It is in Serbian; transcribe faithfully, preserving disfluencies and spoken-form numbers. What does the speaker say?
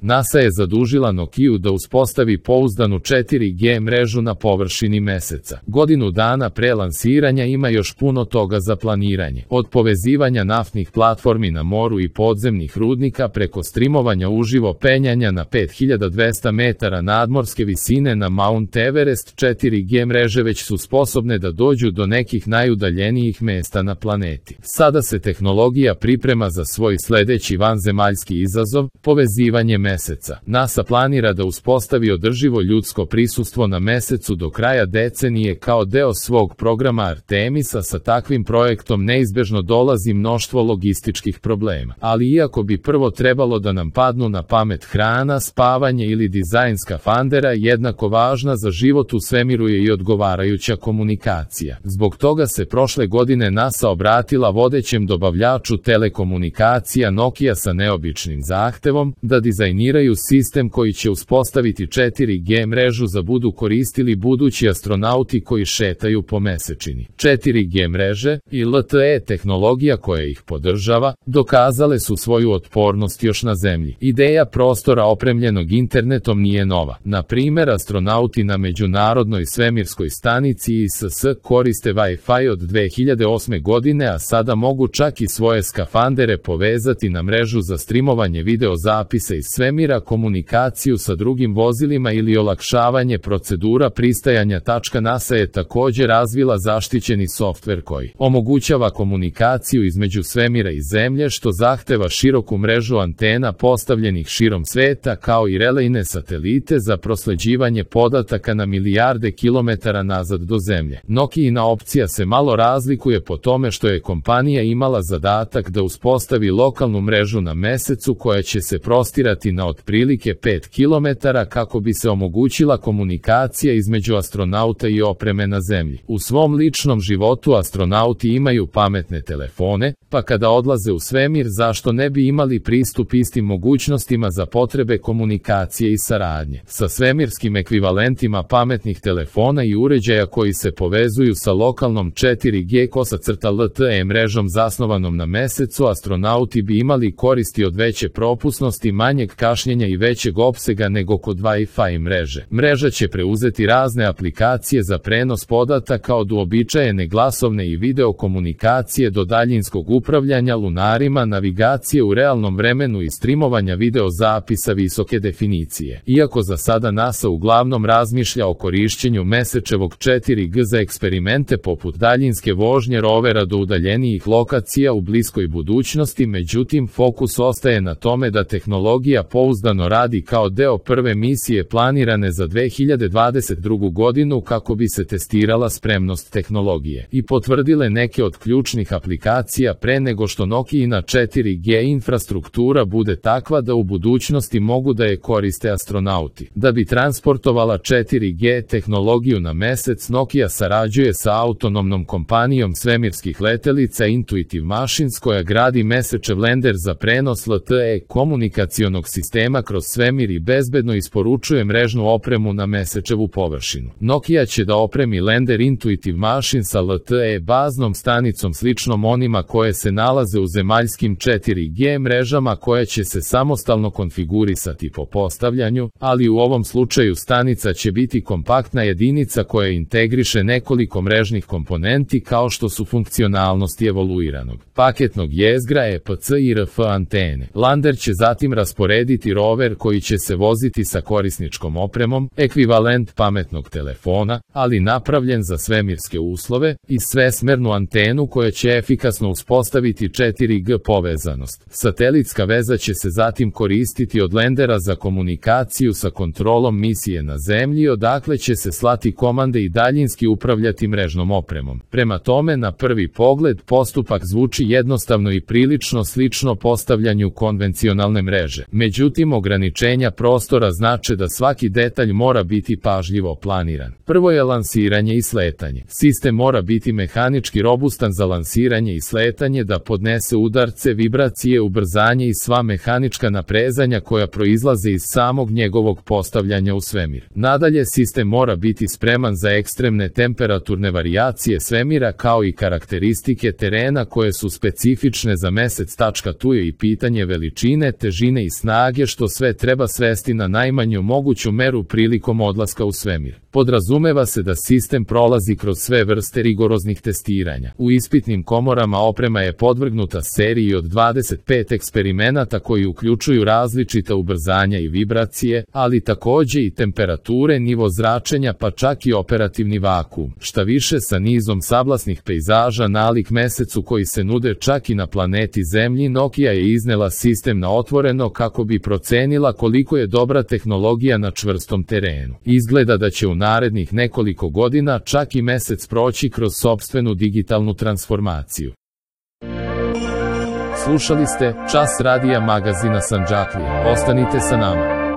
NASA je zadužila Nokiju da uspostavi pouzdanu četiri G mrežu na površini Meseca. Godinu dana pre lansiranja ima još puno toga za planiranje. Od povezivanja naftnih platformi na moru i podzemnih rudnika preko streamovanja uživo penjanja na pet hiljada dvesta metara nadmorske visine na Mount Everest, četiri G mreže već su sposobne da dođu do nekih najudaljenijih mesta na planeti. Sada se tehnologija priprema za svoj sledeći vanzemaljski izazov, povezivanje Meseca. NASA planira da uspostavi održivo ljudsko prisustvo na Mesecu do kraja decenije kao deo svog programa Artemisa. Sa takvim projektom neizbežno dolazi mnoštvo logističkih problema. Ali iako bi prvo trebalo da nam padnu na pamet hrana, spavanje ili dizajn skafandera, jednako važna za život u svemiru je i odgovarajuća komunikacija. Zbog toga se prošle godine NASA obratila vodećem dobavljaču telekomunikacija Nokia sa neobičnim zahtevom da dizajniraju sistem koji će uspostaviti četiri G mrežu za budu koristili budući astronauti koji šetaju po mesečini. četiri G mreže i L T E tehnologija koja ih podržava dokazale su svoju otpornost još na Zemlji. Ideja prostora opremljenog internetom nije nova. Na primer, astronauti na Međunarodnoj svemirskoj stanici I S S koriste Wi-Fi od dve hiljade osme godine, a sada mogu čak i svoje skafandere povezati na mrežu za streamovanje video zapisa iz svemira, komunikaciju sa drugim vozilima ili olakšavanje procedura pristajanja. NASA je također razvila zaštićeni softver koji omogućava komunikaciju između svemira i Zemlje, što zahteva široku mrežu antena postavljenih širom sveta kao i relejne satelite za prosleđivanje podataka na milijarde kilometara nazad do Zemlje. Nokijina opcija se malo razlikuje po tome što je kompanija imala zadatak da uspostavi lokalnu mrežu na Mesecu koja će se prostirati na otprilike pet kilometara kako bi se omogućila komunikacija između astronauta i opreme na Zemlji. U svom ličnom životu astronauti imaju pametne telefone, pa kada odlaze u svemir zašto ne bi imali pristup istim mogućnostima za potrebe komunikacije i saradnje. Sa svemirskim ekvivalentima pametnih telefona i uređaja koji se povezuju sa lokalnom četiri G kosacrta L T E mrežom zasnovanom na Mesecu, astronauti bi imali koristi od veće propusnosti, manjeg kašnjenja i većeg opsega nego kod Wi-Fi mreže. Mreža će preuzeti razne aplikacije za prenos podataka od uobičajene glasovne i video komunikacije do daljinskog upravljanja lunarima, navigacije u realnom vremenu i streamovanja video zapisa visoke definicije. Iako za sada NASA uglavnom razmišlja o korišćenju Mesečevog četiri G za eksperimente poput daljinske vožnje rovera do udaljenijih lokacija u bliskoj budućnosti, međutim fokus ostaje na tome da tehnologija pouzdano radi kao deo prve misije planirane za dve hiljade dvadeset drugu godinu kako bi se testirala spremnost tehnologije i potvrdile neke od ključnih aplikacija pre nego što Nokijina četiri G infrastruktura bude takva da u budućnosti mogu da je koriste astronauti. Da bi transportovala četiri G tehnologiju na Mesec, Nokia sarađuje sa autonomnom kompanijom svemirskih letelica Intuitive Machines koja gradi Mesečev lender za prenos L T E komunikacionog sistema kroz svemir i bezbedno isporučuje mrežnu opremu na Mesečevu površinu. Nokia će da opremi lender Intuitive Machines sa L T E baznom stanicom sličnom onima koje se nalaze u zemaljskim četiri G mrežama koja će se samostalno konfigurisati po postavljanju, ali u ovom slučaju stanica će biti kompaktna jedinica koja integriše nekoliko mrežnih komponenti kao što su funkcionalnosti evoluiranog paketnog jezgra E P C i R F antene. Lander će zatim rasporediti rover koji će se voziti sa korisničkom opremom, ekvivalent pametnog telefona, ali napravljen za svemirske uslove, i svesmernu antenu koja će efikasno uspostaviti četiri G povezanost. Satelitska veza će se zatim koristiti od lendera za komunikaciju sa kontrolom misije na Zemlji, odakle će se slati komande i daljinski upravljati mrežnom opremom. Prema tome, na prvi pogled postupak zvuči jednostavno i prilično slično postavljanju konvencionalne mreže. Međutim, ograničenja prostora znače da svaki detalj mora biti pažljivo planiran. Prvo je lansiranje i sletanje. Sistem mora biti mehanički robustan za lansiranje i sletanje, da podnese udarce, vibracije, ubrzanje i sva mehanička naprezanja koja proizlaze iz samog njegovog postavljanja u svemir. Nadalje, sistem mora biti spreman za ekstremne temperaturne varijacije svemira kao i karakteristike terena koje su specifične za Mesec. Tu je i pitanje veličine, težine i snage snage što sve treba svesti na najmanju moguću meru prilikom odlaska u svemir. Podrazumeva se da sistem prolazi kroz sve vrste rigoroznih testiranja. U ispitnim komorama oprema je podvrgnuta seriji od dvadeset pet eksperimenata koji uključuju različita ubrzanja i vibracije, ali takođe i temperature, nivo zračenja pa čak i operativni vakuum. Šta više, sa nizom sablasnih pejzaža nalik mesecu koji se nude čak i na planeti Zemlji, Nokia je iznela sistem na otvoreno kako bi procenila koliko je dobra tehnologija na čvrstom terenu. Izgleda da će u narednih nekoliko godina čak i mesec proći kroz sopstvenu digitalnu transformaciju. Slušali ste Čas radija magazina Sandžaklija. Ostanite sa nama.